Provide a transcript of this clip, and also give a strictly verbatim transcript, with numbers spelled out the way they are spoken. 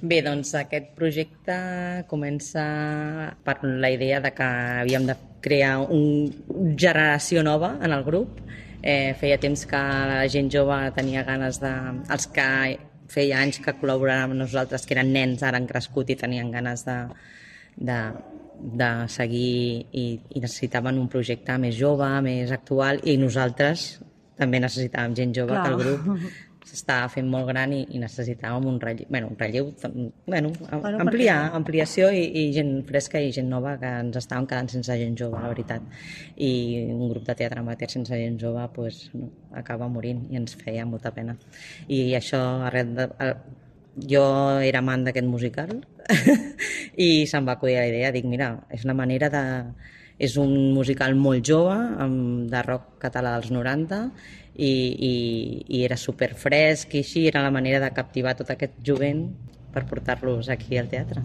Bé, doncs aquest projecte comença per la idea de que havíem de crear una generació nova en el grup. Eh, feia temps que la gent jove tenia ganes de... Els que feia anys que col·laboraven amb nosaltres, que eren nens, ara han crescut i tenien ganes de, de, de seguir i, i necessitaven un projecte més jove, més actual, i nosaltres també necessitàvem gent jove. Clar. Que el grup s'estava fent molt gran i, i necessitàvem un relleu, bueno, un relleu bueno, bueno, ampliar, perquè... ampliació i, i gent fresca i gent nova, que ens estàvem quedant sense gent jove, la veritat. I un grup de teatre amateur sense gent jove pues, no, acaba morint i ens feia molta pena. I això, arrel de, jo era amant d'aquest musical i se'm va acudir la idea, dic, mira, és una manera de... És un musical molt jove, de rock català dels noranta, i, i, i era superfresc i així, era la manera de captivar tot aquest jovent per portar-los aquí al teatre.